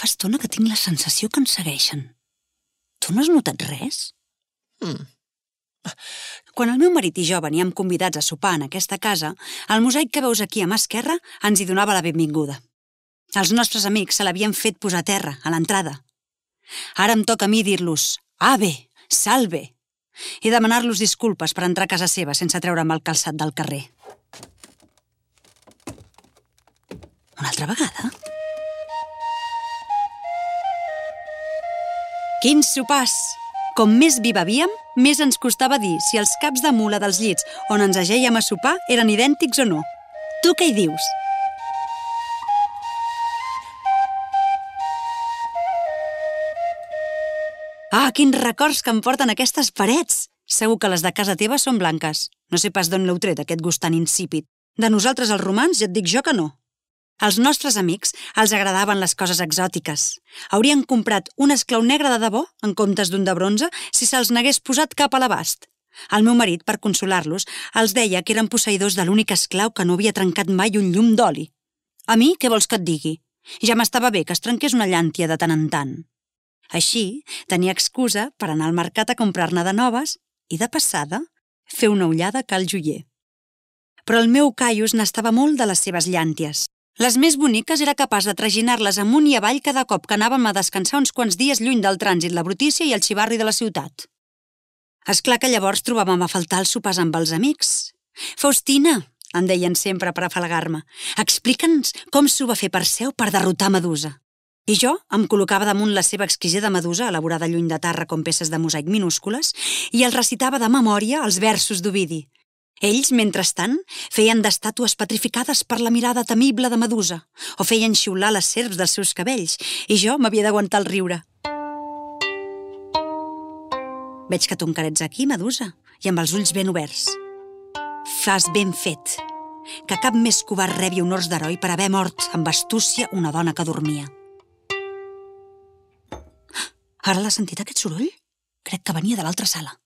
Fa estona que tinc la sensació que ens segueixen. Tu no has notat res? Quan el meu marit i jo veníem convidats a sopar en aquesta casa, el mosaic que veus aquí a mà esquerra ens hi donava la benvinguda. Els nostres amics se l'havien fet posar a terra, a l'entrada. Ara em toca a mi dir-los «Ave, salve!» i demanar-los disculpes per entrar a casa seva sense treure'm el calçat del carrer. Una altra vegada? Quins sopars! Com més vi bevíem, més ens costava dir si els caps de mula dels llits on ens agèiem a sopar eren idèntics o no. Tu què hi dius? Ah, quins records que em porten aquestes parets! Segur que les de casa teva són blanques. No sé pas d'on l'heu tret, aquest gust tan insípid. De nosaltres, els romans, ja et dic jo que no. Als nostres amics els agradaven les coses exòtiques. Haurien comprat un esclau negre de debò, en comptes d'un de bronze, si se'ls n'hagués posat cap a l'abast. El meu marit, per consolar-los, els deia que eren posseïdors de l'únic esclau que no havia trencat mai un llum d'oli. A mi, què vols que et digui? Ja m'estava bé que es trenqués una llàntia de tant en tant. Així, tenia excusa per anar al mercat a comprar-ne de noves i, de passada, fer una ullada a cal joier. Però el meu Caius n'estava molt de les seves llànties. Les més boniques era capaç de traginar-les amunt i avall cada cop que anàvem a descansar uns quants dies lluny del trànsit, la brutícia i el xivarri de la ciutat. És clar que llavors trobàvem a faltar els sopars amb els amics. «Faustina», em deien sempre per afalagar-me, «explica'ns com s'ho va fer Perseu per derrotar Medusa». I jo em col·locava damunt la seva exquisida medusa, elaborada lluny de Tàrrega com peces de mosaic minúscules, i els recitava de memòria els versos d'Ovidi. Ells, mentrestant, feien d'estàtues petrificades per la mirada temible de Medusa, o feien xiular les serps dels seus cabells, i jo m'havia d'aguantar el riure. Veig que tu encara ets aquí, Medusa, i amb els ulls ben oberts. Fas ben fet. Que cap més covard rebi honors d'heroi per haver mort amb astúcia una dona que dormia. Ara l'has sentit, aquest soroll? Crec que venia de l'altra sala.